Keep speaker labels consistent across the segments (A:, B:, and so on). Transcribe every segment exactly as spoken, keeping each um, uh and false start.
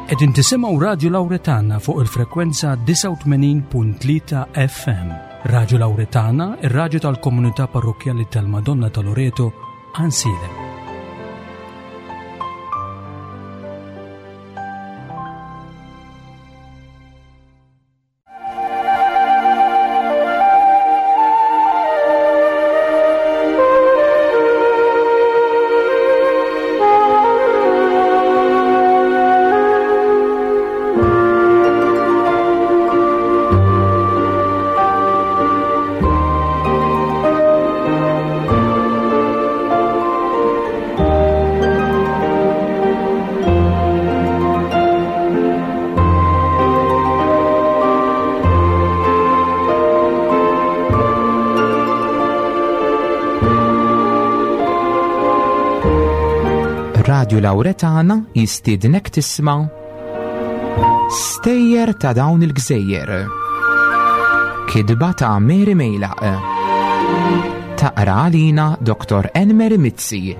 A: Qegħdin tisimgħu Radio Lauretana fuq il-frekwenza disgħa u tmenin punt tlieta F M. Radio Lauretana, ir-radju tal-Komunità Parrokkjali tal-Madonna ta' Loreto, Għajnsielem.
B: Radio Lauretana jistiednek tisma' Stejjer ta' dawn il-gżejjer. Kitba ta' Mary Mejlaq. Taqra għalina Doktor Enmer Mizzi.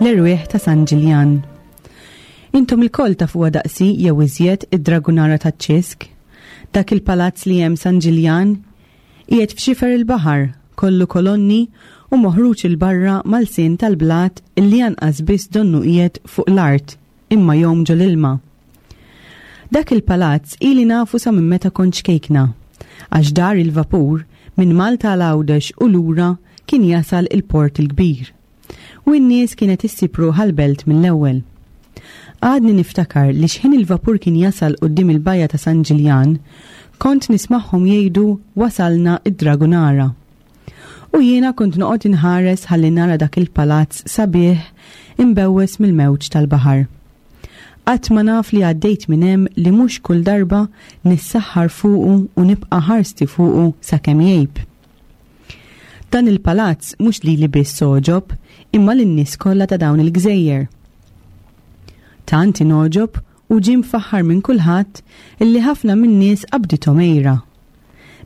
C: L-erwieħ ta' San Ġiljan. Intom ilkoll tafuha daqsi jew iżjed id-Dragunara ta' Ċisk, dak il-palazz li hemm San Ġiljan, qiegħed f'xifer il-baħar, kollu kolonni u moħruġ 'il barra mal-sin tal-blat illi anqas biss donnu qiegħed fuq l-art, imma jgħum ġol-ilma. Dak il-palazz ili nafu sa minn meta kont ċkejkna, għax dar il-vapur minn Malta għal Għawdex u lura kien jasal il-Port il-Kbir. U n-nies kienet issib ruħha l-belt mill-ewwel. Għadni niftakar li xħin il-vapur kien jasal quddiem il-bajja ta' San Ġiljan, kont nismagħhom jgħidu wasalna id-Dragunara. U jiena kont noqgħod inħares ħalli nara dak il-palazz sabiħ imbewwes mill-mewġ tal-baħar. Qatt ma naf li għaddejt minn hemm li mhux kull darba nissaħħar fuqu u nibqa' ħarsti fuqu sakemm jgħib. Dan il-palazz mhux lili biss għoġob, imma lin-nies kollha ta' dawn il-gżejjer. Tant ingħoġob u ġie mfaħħar minn kulħadd illi ħafna min-nies qabdithom għira.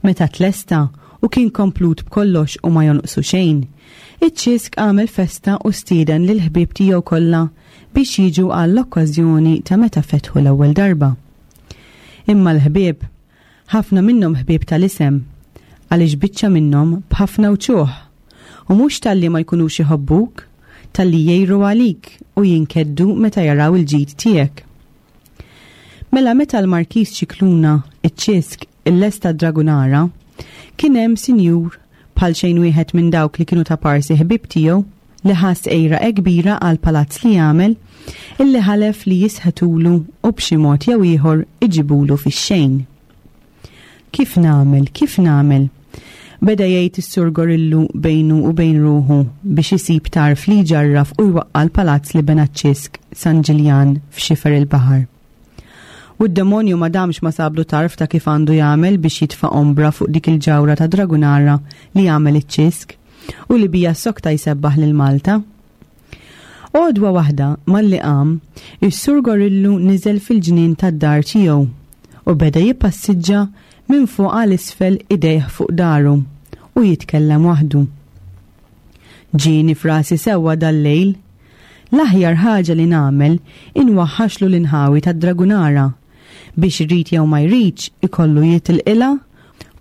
C: Meta tlesta u kien komplut b'kollox u ma jonqsu xejn, iċ-Ċisk għamel festa u stieden lil ħbieb tiegħu kollha biex jiġu għall-okkażjoni ta' meta fetħu l-ewwel darba. Imma l-ħbieb, ħafna minnhom ħbieb tal-isem, għaliex biċċa minnhom b'ħafna wċuħ, u mhux talli ma jkunux iħobbuk, talli jgħiru għalik u jinkeddu meta jaraw il-ġid tiegħek. Mela meta l-Markiż Ċikluna, iċ-Ċisk, il-lesta Dragunara, kien hemm sinjur bħal xejn wieħed minn dawk li kienu ta' parsi ħbib tiegħu li ħass għira kbira għal palazz li għamel illi ħalef li jisħetulu u b'xi mod jew ieħor iġibulu fix-xejn. Kif nagħmel, kif nagħmel? Beda jgħid is-Sur Gorillu bejnu u bejn ruħu biex isib tarf li jġarraf u jwaqqa l-palazz li bena Ċisk San Ġiljan f'xifer il-baħar. U d-demonju ma damx ma sablu tarf ta' kif għandu jagħmel biex jitfa' ombra fuq dik il-ġawra ta' Dragunara li jagħmel iċ-Ċisk u li bija sokta jsebbaħ lil Malta. Għodwa waħda malli qam, is-Sur Gorillu niżel fil-ġnien tad-dar tiegħu u beda jippassiġġa minn fuq għal isfel idejh fuq dahru u jitkellem waħdu. Ġieni frasi sewwa dal-lejl, l-aħjar ħaġa li nagħmel inwaħħaxlu l-inħawi tad-Dragunara biex irid jew ma jridx ikollu jitilqilha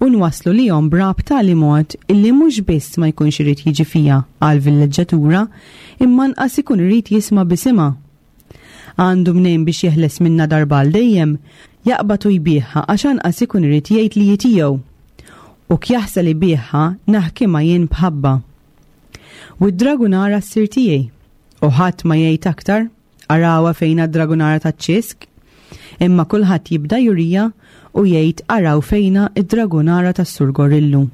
C: u nwaslu li jom brab tali mod illi mhux biss ma jkunx irid jiġi fija għal villeġġatura imma nqas ikun irid jisma' bisimha. Għandu mnejn biex jeħles minna darba għal dejjem jaqbad u jbigħha għax anqas ikun irid jgħid li tiegħu. U kjaħsa li biegħha naħkimha jien b'ħabba. U d-Dragunara ssir tiegħi. U ħadd ma jgħid aktar, arawha fejna d-Dragunara taċ-Ċisk. Imma kulħadd jibda jurija u jgħid araw fejna id-Dragunara tas-Sur Gorillu.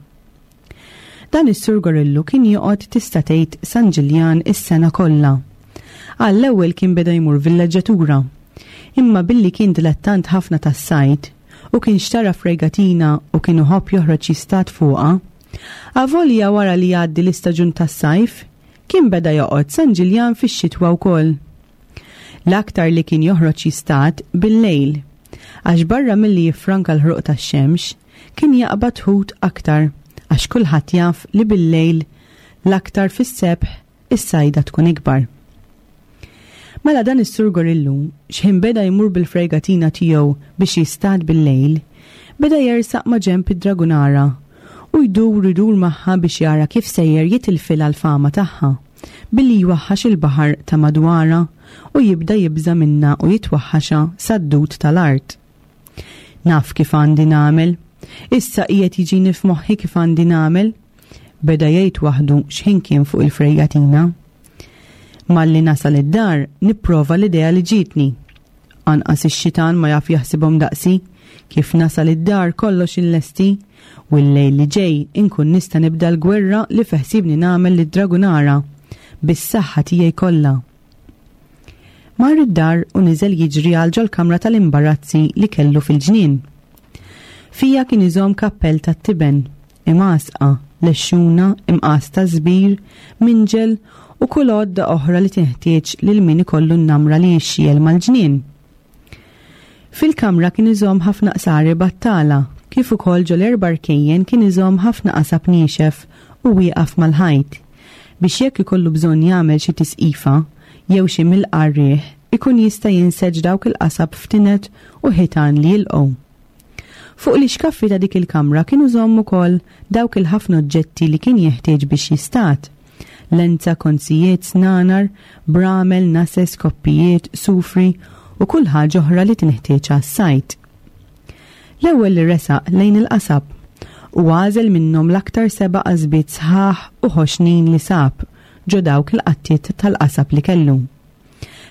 C: Dan is-Sur Gorillu kien joqgħod tista' tgħid San Ġiljan is-sena kollha. Għall-ewwel kien beda jmur villeġġatura. Imma billi kien dilettant ħafna tas-sajd u kien xtara fregatina u kien iħobb joħroġ jistad fuqha, avolja wara li jgħaddi l-istaġun tas-sajf, kien beda joqgħod San Ġiljan fix-xitwa wkoll. L-aktar li kien joħroġ jistad bil-lejl, għax barra milli jiffranka l-ħruq tax-xemx, kien jaqbad ħut aktar, għax kulħadd jaf li bil-lejl l-aktar fis-sebħ is-sajda tkun ikbar. Mela dan is-Sur Gorillu, x'ħin beda jmur bil-fregatina tiegħu biex jistad bil-lejl, beda jersaq ma' ġenb id-Dragunara u jdur idur magħha biex jara kif sejjer jitilfilha l-fama tagħha, billi jwaħħax il-baħar ta' madwara u jibda jibża' minnha u jitwaħħaxha sad-dud tal-art. Naf kif għandi nagħmel, issa qiegħed jiġini f'moħħi kif għandi nagħmel, beda jgħid waħdu x'ħin kien fuq il-frejgatina. Malli nasal id-dar nipprova l-idea li ġietni. Anqas ix-xitan ma jaf jaħsibhom daqsi, kif nasal id-dar kollox inlesti u l-lejl li ġej inkun nista' nibda l-gwerra li feħsibni nagħmel lid-Dragunara bis-saħħa tiegħi kollha. Mar id-dar u niżel jiġri għal ġol-kamra tal-imbarazzi li kellu fil-ġnien. Fija kien iżomm kappell tat-tiben, imgħasqa, lexxuna, imqas ta' żbir, minġel u kull għodda oħra li tinħtieġ lil min ikollu n-namra li jixxiel mal-ġnien. Fil-kamra kien iżomm ħafna qsari battala, kif ukoll ġol erba' rkejjen kien iżomm ħafna qasab niexef u wieqaf mal-ħajt, biex jekk ikollu bżonn jagħmel xi tisqifa jew xi milqa' riħ, ikun jista' jinseġ dawk il-qasab f'tinet u ħitan li jilqgħu. Fuq l-ixkaffi ta' dik il-kamra kienu żomm ukoll dawk il-ħafna oġġetti li kien jeħtieġ biex jistad. Lenza, konzijiet, snanar, bramel, nases, koppijiet, sufri u kull ħaġa oħra li tinħtieġ għas-sajt. L-ewwel li resaq lejn il-qasab u għażel minnhom l-aktar seba' qasbiet sħaħ u ħoxnin li sab ġo dawk il-qattiet tal-qasab li kellu.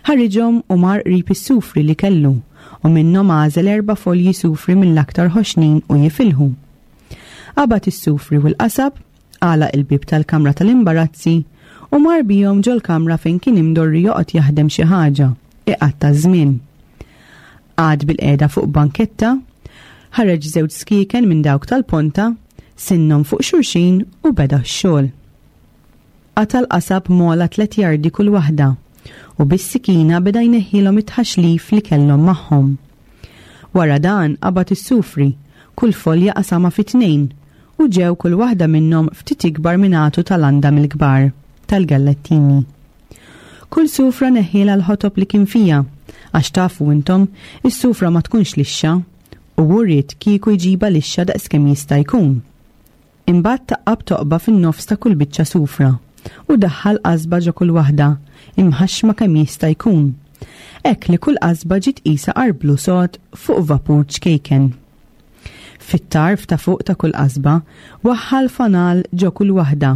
C: Ħariġhom u mar qrib is-sufri li kellu u minnhom għażel erba' folji sufri mill-aktar ħoxnin u jifilħu. Qabad is-sufri u l-qasab, għalaq il-bieb tal-kamra tal-imbarazzi u mar bihom ġol-kamra fejn kien imdorri joqgħod jaħdem xi ħaġa, iqatta' żmien. Qagħad bil-qiegħda fuq banketta, ħareġ żewġ skieken minn dawk tal-ponta, sinnhom fuq xulxin u beda x-xogħol. Qata' l-qasab mola tliet jardi kull waħda u bis-sikina beda jneħħilhom it-tħaxlif li kellhom magħhom. Wara dan qabad is-sufri, kull folja qasama fi tnejn u ġew kull waħda minnhom ftit ikbar minn għatu tal-għanda mill-kbar tal-gallettini. Kull sufra neħħielha l-ħotob li kien fija, għax tafu intom is-sufra ma tkunx lixxa u hu ried kieku jġibha lixxa daqskemm jista' jkun. Imbagħad taqqab toqba fin-nofs ta' kull biċċa sufra u daħħal qasba ġo kull waħda, imħaxma kemm jista' jkun. Hekk li kull qasba ġiet qisha arblu sod fuq vapur ċkejken. Fit-tarf ta' fuq ta' kull qasba waħħal fanal ġo kull waħda.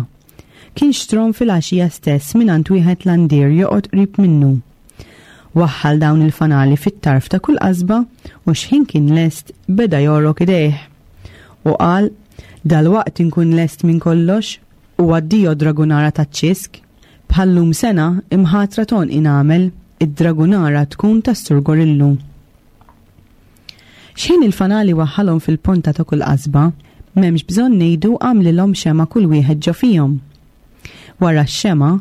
C: Kien xtrom fil-għaxija stess mingħand wieħed landier joqgħod qrib minnu. Waħħal dawn il-fanali fit-tarf ta' kull qasba u x'ħin kien lest beda jorok idejh. U qal, dalwaqt inkun lest minn kollox u addio Dragunara taċ-ċisk. Bħallum sena imħatra ton inagħmel id-Dragunara tkun tas-Sur Gorillu. X'ħin il-fanali waħħalhom fil-ponta ta' kull qasba, m'hemmx bżonn ngħidu għamlilhom xema kull wieħed ġo fihom. Wara x-xema,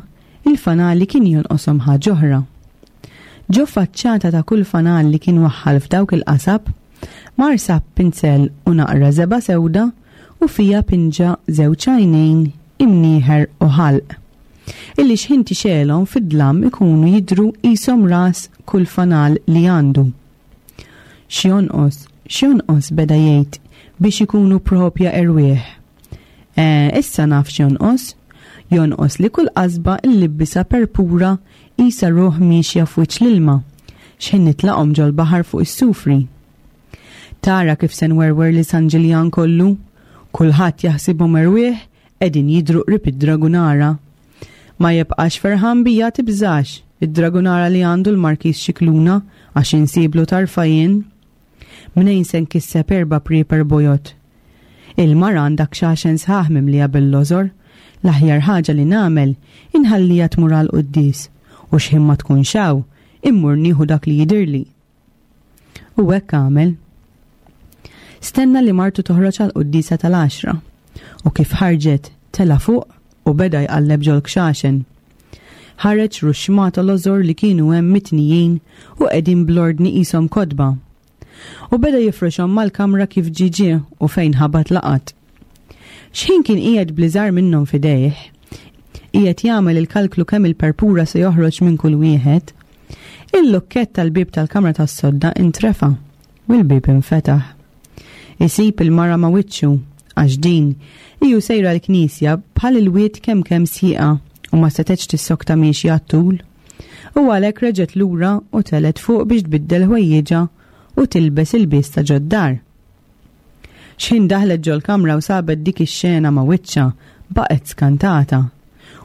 C: il-fanali kien jonqoshom ħaġa oħra. Ġo faċċata ta' kull fanal li kien waħħal f'dawk il-qasab, mar sab pinzell u naqra żebgħa sewda u fija pinġa żewġ għajnejn, imnieħer u ħalq, illi x'ħin tixelhom fid-dlam ikunu jidhru qishom ras kull fanal li għandu. X'jonqos, x'jonqos beda jgħid biex ikunu propja erwieħ. Eh, issa naf x'jonqos, jonqos li kull qasba llibbisha perpura qisha ruħ miexja f'wiċċ l-ilma, x'ħin nitlaqhom ġol-baħar fuq is-sufri. Tara kif se nwerwer li San Ġiljan kollu, kulħadd jaħsibhom erwieħ qegħdin jidhru qrib id-Dragunara. Ma jibqax ferħan bija tibżax, id-Dragunara li għandu l-Markiż Scicluna għax insiblu tarfa jien. Mnejn se nkisseb erba' prieper bojod. Il-mara għandha kxaxen sħaħ mimlija bil-lożor, l-aħjar ħaġa li nagħmel inħallija tmur għal quddies u x'ħin ma tkunx hawn, immur nieħu dak li jidirli. U hekk għamel. Stenna li martu toħroġ għal quddiesa tal-għaxra u kif ħarġet tela fuq u beda jqalleb ġol kxaxen. Ħareġ ruxxmata lożor li kienu hemm mitnijin u qegħdin bl-ordni qishom kotba. U beda jifrixhom mal-kamra kif ġie ġie u fejn ħabat laqat. X'ħin kien qiegħed bl-iżgħar minnhom f'idejh, qiegħed jagħmel il-kalklu kemm il-perpura se joħroġ minn kull wieħed, il-lukkett tal-bieb tal-kamra tas-sodda intrefa' u l-bieb infetaħ. Isib il-mara ma' wiċċu għax din iju sejra l-knisja bħal il-wied kemm kemm sieqa u ma setgħetx tissokta miexja għat-tul. U għalhekk reġgħet lura u telgħet fuq biex tbiddel ħwejjiġha u tilbes ilbies ta' ġod-dar. X'ħin daħlet ġol-kamra u sabet dik ix-xena ma' wiċċha, baqgħet skantata.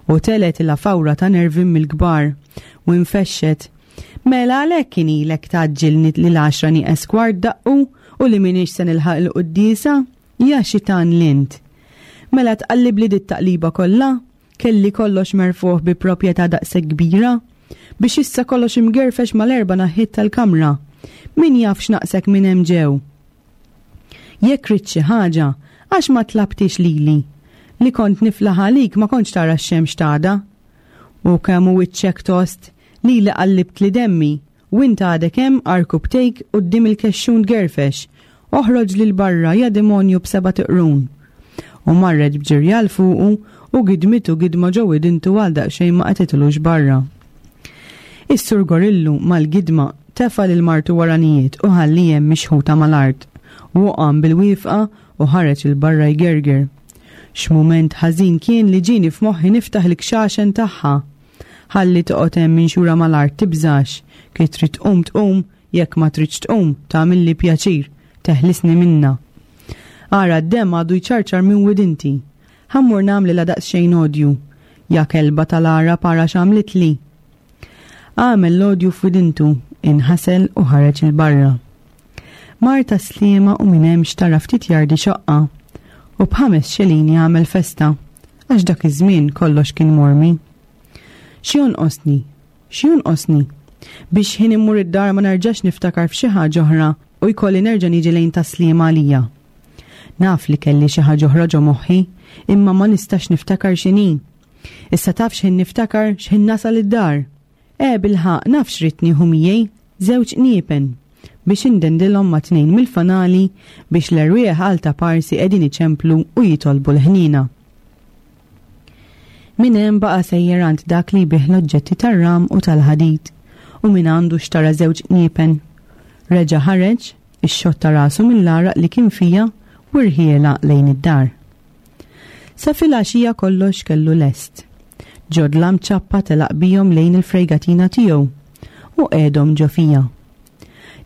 C: U telgħetilha fawra ta' nervi mill-kbar u infexxet. Mela għalhekk kien ilek tgħaġġilni li l-għaxra nieqes kwart daqqu u li m'iniex se nilħaq il-quddiesa? Ja xitan l-int. Mela tqallibli dit-taqliba kollha? Kelli kollox merfuħ bi proprjetà daqshekk kbira? Biex issa kollox imgerfex mal-erba' naħħiet tal-kamra. Min jaf x'naqsek minn hemm ġew? Jekk ridt xi ħaġa, għax ma tlabtix lili? Li kont niflaħ għalik ma kontx tara x-xemx t'għada. U kemm hu wiċċek tost, lili qallibtli demmi, u int għadek hemm għarkupptejk quddiem il-kexxun tgerfex. Oħroġ lil barra, ja demonju b'sebat iqrun. U marret b'ġirja 'l fuqu u gidmitu gidma ġo widintu għal daqsxejn ma qatgħetilux barra. Is-Sur Gorillu mal-gidma tefa' lil martu waranijiet u ħalli hemm mixħuta mal-art. U qam bil-wieqfa u ħareġ 'il barra jgerger. X'mument ħażin kien li ġieni f'moħħi niftaħ il-kxaxen tagħha. Ħalli toqgħod hemm minxura mal-art tibżax, kif trid tqum tqum, jekk ma tridx tqum tagħmilli pjaċir, teħlisni minna. Ara d-demm għadu jċarċar minn widinti. Ħa mmur nagħmlilha daqsxejn odju. Ja kelba tal-Għarab ara x'għamlitli. Għamel l-odju f'widintu, inħasel u ħareġ 'il barra. Mar Tas-Sliema u minn hemm xtara ftit jardi xoqqa. U b'ħames xelini għamel festa, għax dak iż-żmien kollox kien mormi. X'jonqosni? X'jonqosni? Biex ħin immur id-dar ma nerġax niftakar f'xi ħaġa oħra u jkolli nerġa' niġi lejn Tas-Sliema għalija. Naf li kelli xi ħaġa oħra ġo moħħi, imma ma nistax niftakar x'inhi. Issa taf x'ħin niftakar x'ħin nasal id-dar. E bilħaqq naf x'ridt nieħu miegħi, żewġ qniepen biex indendilhom ma' tnejn mill-fanali biex l-erwieħ għal ta' parsi qegħdin iċemplu u jitolbu l-ħniena. Minn hemm baqa' sejjer għand dak li jbigħ l-oġġetti tar-ram u tal-ħadid u minn għandu xtara żewġ qniepen. Reġa' ħareġ, ixxotta rasu mill-għaraq li kien fija u rħiela lejn id-dar. Sa filgħaxija kollox kellu lest. Ġodlam ċappa telaq bihom lejn il-frejgatina tiegħu u qiegħdhom ġo fija.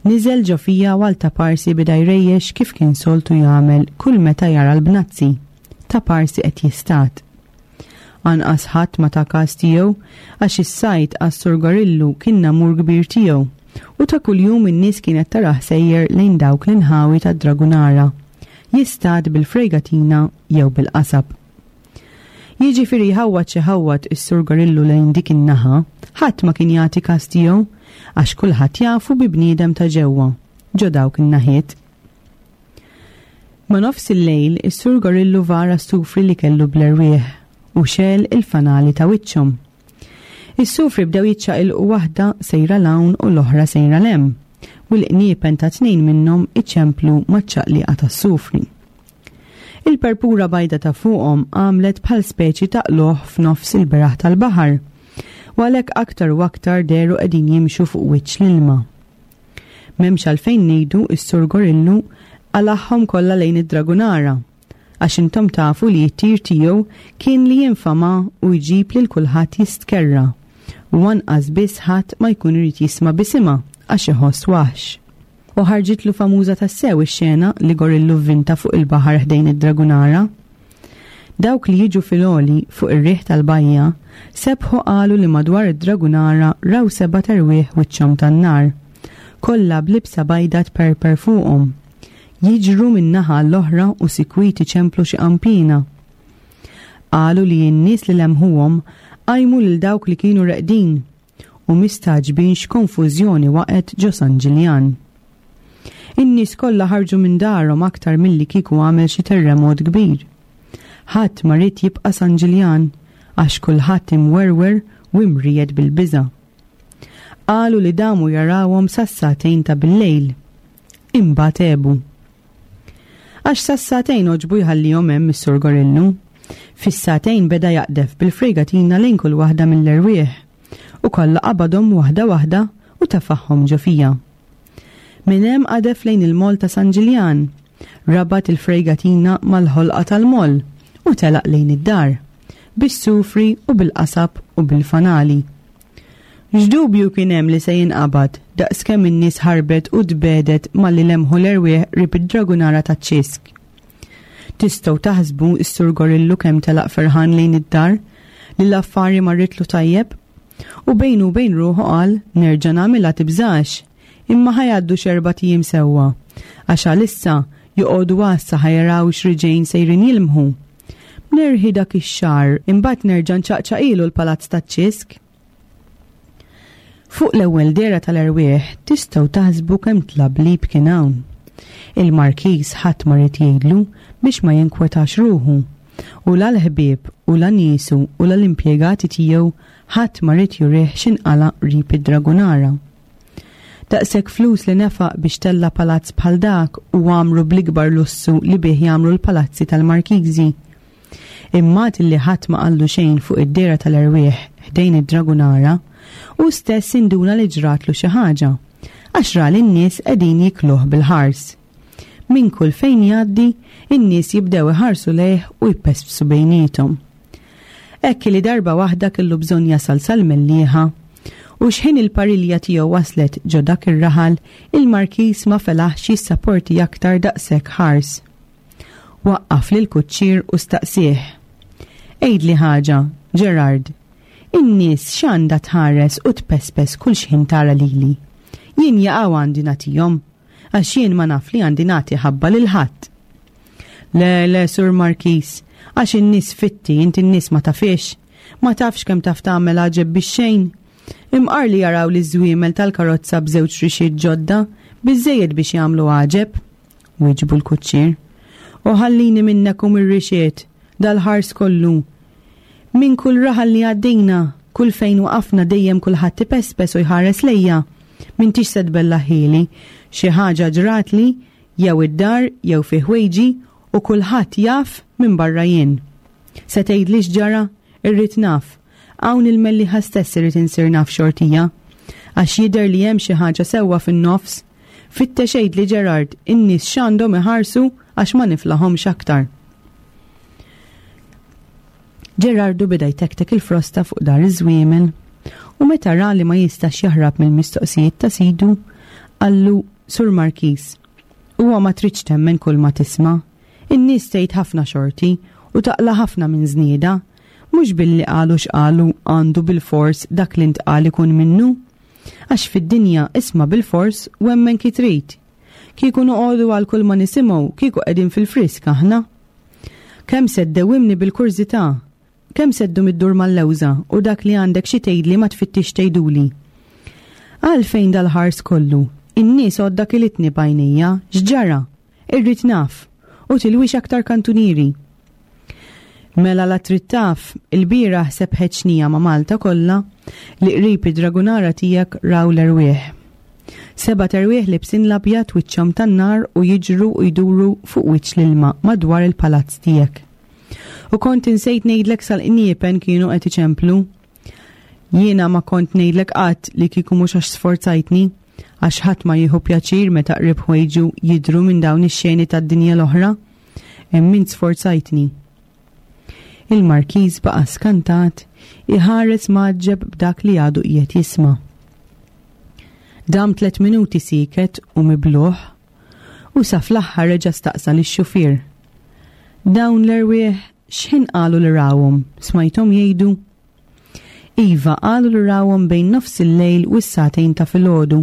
C: Niżel ġo fija u għal ta' parsi bida jrejjex kif kien soltu jagħmel kull meta jara l-bnazzi. Ta' parsi qed jistat. Anqas ħadd ma ta' każ tiegħu għax is-sajd għas-Sur Gorillu kien namur kbir tiegħu u ta' kuljum in-nies kienet tarah sejjer lejn dawk l-inħawi tad-Dragunara, jistad bil-frejgatina jew bil-qasab. Jiġifieri jħawwad xi ħawwad is-Sur Gorillu lejn dik in-naħa, ħadd ma kien jagħti każ tiegħu għax kulħadd jafu bi bniedem ta' ġewwa, ġo dawk in-naħiet. Ma' nofs il-lejl is-Sur Gorillu vara s-sufri li kellu bl-erwieħ u xegħel il fanali ta' wiċċhom. Is-sufri bdew jiċċaqilqu waħda sejra 'l hawn u l-oħra sejra 'l hemm, u l-qniepen ta' tnejn minnhom iċemplu maċ-ċaqliqa tas-sufri. Il-perpura bajda ta' fuqhom għamlet bħal speċi ta' qlugħ f'nofs il-beraħ tal-baħar, u għalhekk aktar u aktar dehru qegħdin jimxu fuq wiċċ l-ilma. M'hemmx għalfejn ngħidu s-Sur Gorillu qalagħhom kollha lejn id-Dragunara, għax intom tafu li t-tir tiegħu kien li jinfama u jġib lil kulħadd jistkerra, u anqas biss ħadd ma jkun irid jisma' bisimha għax iħoss waħx. U ħarġitlu famuża tassew ix-xena li Gorillu vvinta fuq il-baħar ħdejn id-Dragunara. Dawk li jiġu fil-għoli fuq ir-riħ tal-bajja sebħu qalu li madwar id-Dragunara raw seba' terwieħ wiċċhom tan-nar, kollha b'libsa bajda tperper fuqhom, jiġru minn naħa l-oħra u sikwit iċemplu xi qampina. Qalu li n-nies li lemħuhom qajmu lil dawk li kienu reqdin u mistagħġbin x'konfużjoni waqgħet ġo San Ġiljan. In-nies kollha ħarġu minn darhom aktar milli kieku għamel xi terremot kbir. Ħadd ma ried jibqa' San Ġiljan għax kulħadd imwerwer u imriegħed bil-biża'. Qalu li damu jarawhom sas-sagħtejn ta' bil-lejl. Imbagħad għebu. Għax sas-sagħtejn għoġbu jħallihom hemm is-Sur Gorillu. Fis-sagħtejn beda jaqdef bil-frejgatina lejn kull waħda mill-erwieħ u kollha qabadhom waħda waħda u tefagħhom ġo fija. Minn hemm qadef lejn il-moll ta' San Ġiljan, rabat il-frejgatina mal-ħolqa tal-moll u telaq lejn id-dar, bis-sufri u bil-qasab u bil-fanali. X'dubju kien hemm li se jinqabad daqskemm in-nies ħarbet u tbedet malli lemħu l-erwieħ qrib id-dragunara taċ-Ċisk. Tistgħu taħsbu s-Sur Gorillu kemm telaq ferħan lejn id-dar li l-affari marritlu tajjeb u bejnu u bejn ruħu qal nerġa' nagħmilha tibżax imma ħa jgħaddu x'erbat ijiem sewwa għax għalissa joqogħdu għassa ħa jaraw x'riġejn sejrin jilmħu. Nerħi dak ix-xahar imbagħad nerġa' nċaqċaqilu l-palazz taċ-Ċisk. Fuq l-ewwel dehra tal-erwieħ tistgħu taħsbu kemm tlablib kien hawn. Il-Markiż ħadd ma ried jgħidlu biex ma jinkwetax ruħu. U la l-ħbieb u la niesu u la l-impjegati tiegħu ħadd ma ried jurih x'inqala qrib id-Dragunara. Daqshekk flus li nefaq biex tella palazz bħal dak u għamru bl-ikbar lussu li bih jagħmlu l-palazzi tal-Markiżi. Imma li ħadd ma qallu xejn fuq id-dehra tal-erwieħ ħdejn id-Dragunara, u stess induna li ġratlu xi ħaġa, għax ra li n-nies qegħdin jikluh bil-ħars. Minn kull fejn jgħaddi, in-nies jibdew iħarsu lejh u jpespsu bejniethom. Hekk li darba waħda kellu bżonn jasal sal-Mellieħa, u xħin il-parilja tiegħu waslet ġo dak ir-raħal, il-Markiż ma felaħx jissaporti aktar daqshekk ħars. Waqqaf lil kuċċier u staqsieh. Għidli ħaġa, Gerard, in-nies x'għandha tħares u tpespes kull xħin tara lili. Jien jaqgħu għandi nagħtihom, għax jien ma naf li għandi nagħti ħabba lil ħadd. Le, le, Sur Markiż, għax in-nies fitti, inti n-nies ma tafix, ma tafx kemm taf tagħmel għaġeb bix-xejn. Imqar li jaraw li żwiemel tal-karozza b'żewġ rixiet ġodda, biżejjed biex jagħmlu għaġeb, wieġbu l-kuċċier. U ħallini minnek u mir-rixiet, dal-ħars kollu. Minn kull raħal li għaddejna, kull fejn waqafna dejjem kulħadd ipespes u jħares lejja. M'intix se tbellaħili, xi ħaġa ġratli, jew id-dar jew fi ħwejġi u kulħadd jaf minn barra jien. Se tgħidli x'ġara? Irrid naf. Hawn il-Mellieħa stess irrid insir naf xortija. Għax jidher li hemm xi ħaġa sewwa fin-nofs. Fittex għidli Gerard, in-nies x'għandhom iħarsu għax ma niflahomx aktar. Gerardu beda jtektek il-frosta fuq dar iż-żwiemel u meta ra li ma jistax jaħrab mill-mistoqsijiet ta' sidu, qallu Sur Markiż, huwa ma tridx temmen kull ma tisma'. In-nies tgħid ħafna xorti u taqla ħafna minn żnieda, mhux billi qalu x'qalu għandu bil-fors dak li ntqal ikun minnu. Għax fid-dinja isma' bil-fors u emmen ki trid. Kieku noqogħdu għal kull ma nisimgħu, kieku qegħdin fil-frisk aħna. Kemm se ddewwimni bil-kurżità, kemm se ddum iddur mal-lewża u dak li għandek xi tgħidli ma tfittix tgħiduli. Għalfejn dal-ħars kollu, in-nies għodda kilitni b'għajnejja, x'ġara? Irrid naf, u tilwix aktar kantunieri. Mela la trid taf, il-bieraħ sebħet xnija ma' Malta kollha li qrib id-dragunara tiegħek raw l-erwieħ. Seba' terwieħ libsin l-abjad wiċċhom tan-nar u jiġru u jduru fuq wiċċ l-ilma madwar il-palazz tiegħek. U kont insejt ngħidlek sal-qniepen kienu qed iċemplu. Jiena ma kont ngħidlek qatt li kieku mhux għax sforzajtni, għax ħadd ma jieħu pjaċir meta qrib ħwejġu jidhru minn dawn ix-xeni tad-dinja l-oħra. Hemm int sforzajtni. Il-Markiż baqa' skantat, iħares mgħaġġeb b'dak li għadu qiegħed jisma'. Dam tliet minuti sieket u mibluħ, u sa fl-aħħar reġa' staqsa lix-xufier. Dawn l-erwieħ x'ħin qalu li rawhom, smajthom jgħidu? Iva, qalu li rawhom bejn nofs il-lejl u s-sagħtejn ta' filgħodu,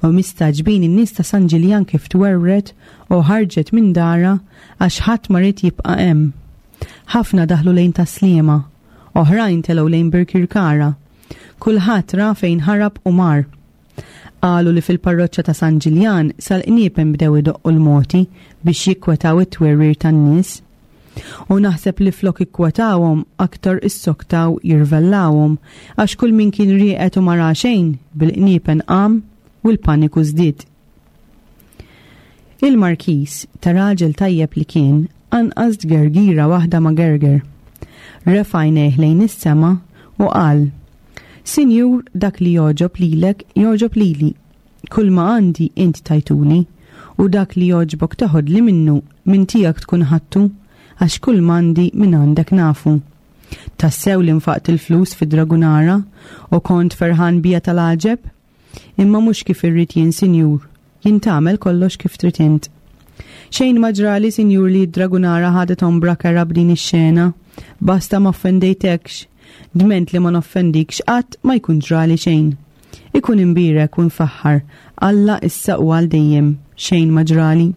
C: u mistagħġbin in-nies ta' San Ġiljan kif twerwret u ħarġet minn dara għax ħadd ma ried jibqa' hemm. Ħafna daħlu lejn Tas-Sliema, oħrajn telgħu lejn Birkirkara. Kulħadd ra fejn ħarab u mar. Qalu li fil-parroċċa ta' San Ġiljan sal-qniepen bdew idoqqu l-moti biex jikkwetaw it-twerwir tan-nies. U naħseb li flok ikkwetawhom aktar issoktaw jirvellawhom għax kull min kien rieqed u ma ra xejn bil-qniepen qam u l-paniku żdied. Il-Markis ta' raġel tajjeb li kien anqas gergira waħda ma gerger. Refa' għajnejh lejn is-sema u qal: Sinjur, dak li jogħġob lilek jogħġob lili. Kull ma għandi int tajtuli u dak li jogħġbok teħodli minnu minn tiegħek tkun ħadtu għax kull m'għandi minn għandek nafu. Tassew li nfaqt il-flus fi Dragunara u kont ferħan bija tal-għaġeb? Imma mhux kif irrid jien, sinjur, jien tagħmel kollox kif trid int. Xejn ma ġrali, sinjur, li d-Dragunara ħadet ombra kerha b'din ix-xena, basta ma offendejtekx, dment li ma noffendikx qatt ma jkun ġrali xejn. Ikun imbierek u nfaħħar, Alla issa u għal dejjem, xejn ma ġrali.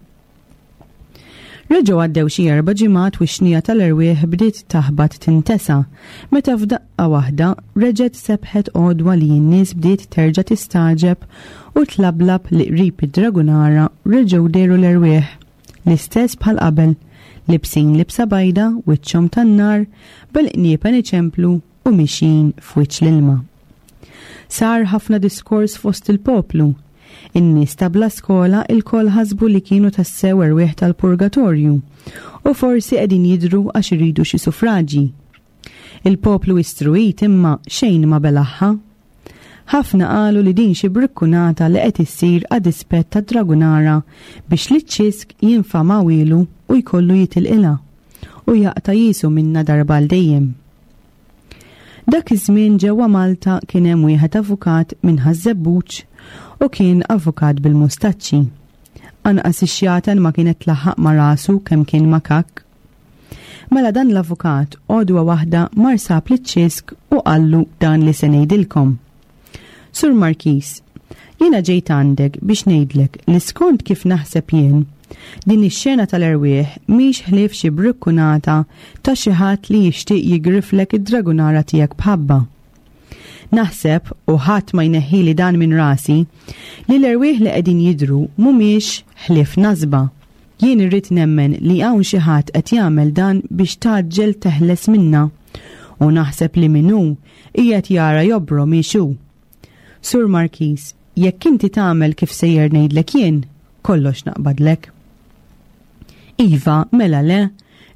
C: Reġgħu għaddew xi erba' ġimgħat u x-xnija tal-erwieħ bdiet taħbat tintesa, meta f'daqqa waħda reġgħet sebħet għodwa li n-nies bdiet terġa' tistagħġeb u tlablab li qrib id-Dragunara reġgħu dehru l-erwieħ, l-istess bħal qabel, libsin libsa bajda, wiċċhom tan-nar, bil-qniepen iċemplu u mixjin f'wiċċ l-ilma. Sar ħafna diskors fost il-poplu. In-nies ta' bla skola ilkoll ħasbu li kienu tassew erwieħ tal-purgatorju u forsi qegħdin jidhru għax iridu xi suffraġi. Il-poplu istruit imma xejn ma belaħħa. Ħafna qalu li din xi brikkunata li qed issir għad-dispett tad-Dragunara biex liċ-Ċisk jinfamawilu u jkollu jitilqilha u jaqta' jisu minna darba għal dejjem. Dak iż-żmien ġewwa Malta kien hemm wieħed avukat minn Ħaż-Żebbuġ u kien avukat bil-mustaċċi. Anqas ix-xjaten ma kienet tlaħħaq ma' rasu kemm kien makak. Mela dan l-avukat għodwa waħda mar sab liċ-Ċisk u qallu dan li se ngħidilkom. Sur Markis, jiena ġejt għandek biex ngħidlek li skont kif naħseb jien, din ix-xena tal-erwieħ mhix ħlief xi brikkunata ta' xi ħadd li jixtieq jigriflek id-Dragunara tiegħek b'ħabba. Naħseb, u ħadd ma jneħħili dan minn rasi, li l-erwieħ li qegħdin jidhru mhumiex ħlief nasba. Jien irrid nemmen li hawn xi ħadd qed jagħmel dan biex tgħaġġel teħles minna, u naħseb li min hu qiegħed jara jobro mhix hu. Sur Markis, jekk inti tagħmel kif sejjer ngħidlek jien, kollox naqbadlek. Iva, mela le,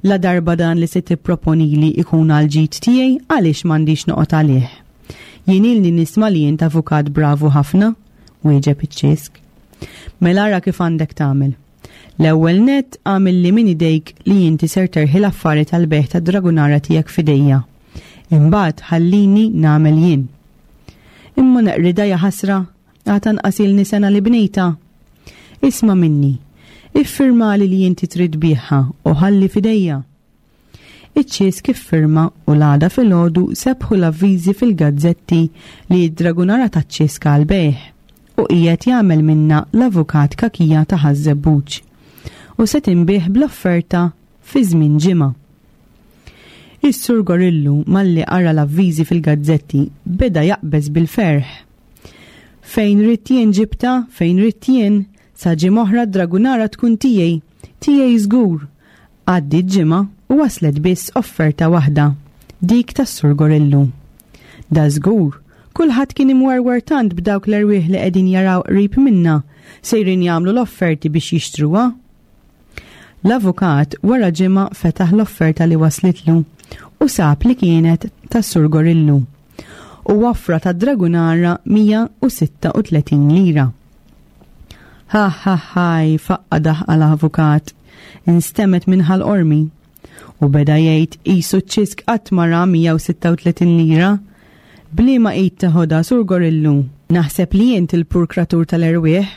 C: la darba dan li se tipproponili ikun għal ġid tiegħi għaliex m'għandix noqgħod għalih. Jien ilni nisma' li int avukat bravu ħafna, wieġeb iċ-Ċisk. Mela ara kif għandek tagħmel. L-ewwel nett għamel li minn idejk li inti ser terħi l-affari tal-bejgħ tad-Dragunara tiegħek f'idejja. Imbagħad ħallini nagħmel jien. Imma neqrida ja ħasra, għad anqas ilni sena li bnejta. Isma' minni, iffirmali li inti trid tbigħha u ħalli f'idejja. Iċ-Ċisk iffirma u l-għada filgħodu sebħu l-avviżi fil-gazzetti li d-Dragunara taċ-Ċisk għal bejgħ u qiegħed jagħmel minna l-avukat Kakija ta' Ħaż-Żebbuġ u se tinbiegħ bl-offerta fi żmien ġimgħa. Is-Sur Gorillu malli qara l-avviżi fil-gazzetti beda jaqbeż bil-ferħ. Fejn ridt jien ġibta, fejn ridt jien, sa ġimgħa oħra d-Dragunara tkun tiegħi, tiegħi żgur. Għaddiet ġimgħa u waslet biss offerta waħda, dik tas-Sur Gorillu. Da żgur, kulħadd kien imwerwer tant b'dawk l-erwieħ li qegħdin jaraw qrib minna, sejrin jagħmlu l-offerti biex jixtruha. L-avukat wara ġimgħa fetaħ l-offerta li waslitlu u sab li kienet tas-Sur Gorillu u offra ta' Dragunara mija u sitta u tletin lira. Ha ha ħaj, faqqa daħqa l-avukat, instemmet minn Ħal Qormi u beda jgħid qisu ċ-Ċisk qatt ma ra mija u sitta u tletin lira. Bliema id teħodha, Sur Gorillu, naħseb li int il-purkratur tal-erwieħ.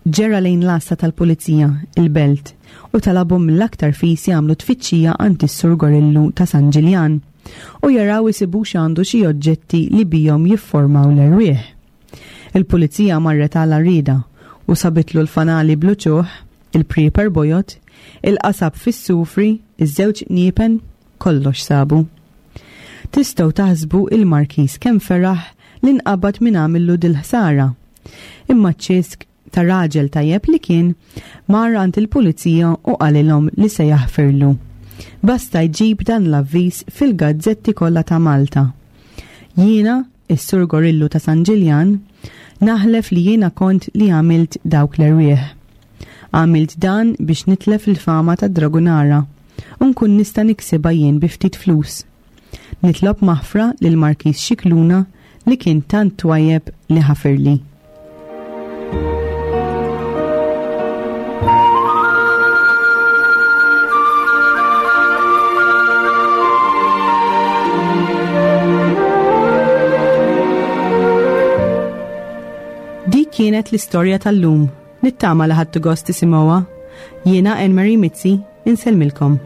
C: Ġera lejn l-għassa tal-pulizija, il-belt, u talabhom mill-aktar fis jagħmlu tfittxija għand is-Sur Gorillu ta' San Ġiljan u jaraw isibux għandu xi oġġetti li bihom jifformaw l-erwieħ. Il-pulizija marret għal għarrieda u sabitlu l-fanali bluċuħ, il-prieper bojot, il-qasab fis-sufri, iż-żewġ niepen, kollox sabu. Tistgħu taħsbu il-Markis kemm feraħ li nqabad minn għamillu dil-ħsara. Imma ċ-Ċisk ta' raġel tajjeb li kien, mar għand il-pulizija u qalilhom li se jaħfirlu. Basta jġib dan l-avviż fil-gazzetti kollha ta' Malta. Jiena, is-Sur Gorillu ta' San Ġiljan, naħlef li jiena kont li għamilt dawk l-erwieħ. Għamilt dan biex nitlef il-fama ta' Dragunara u nkun nista' niksibha jien bi ftit flus. Nitlob maħfra lil Markiż Scicluna li kien tant twajjeb li ħafirli. Dik kienet l-istorja tal-lum. Nittama li ħadtu gost tisimgħuha. Jiena Anne Marie Mizzi, insellmilkom.